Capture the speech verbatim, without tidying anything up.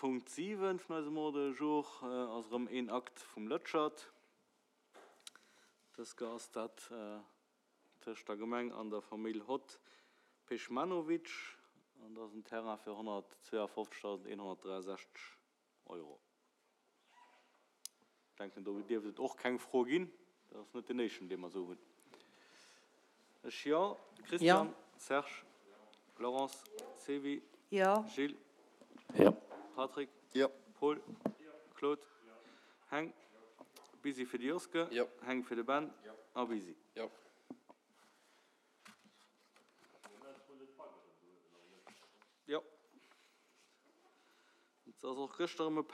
Punkt siwen vun eisem Ordre du jour ass erëm een Akt vum Lëtschert. Dës Kéier ass dat tëscht der Gemeng an der Famill Hott Pejmanovic an dat ass en Terrain fir honnertzweeafofzegdausendeenhonnertdräiasechzeg Euro. Ech denken, do dierft et och keng Fro ginn. Dat ass net deen éischten, dee mer esou hunn. Ech jo. Christian. Jo. Serge. Laurence. Sevi. Jo. Gilles. Jo. Patrick. Jo. Paul. Claude. Heng. Busy fir de Joske. Jo. Heng fir de Ben. A Busy. Jo. Jo. Et ass och gëschter erëm e.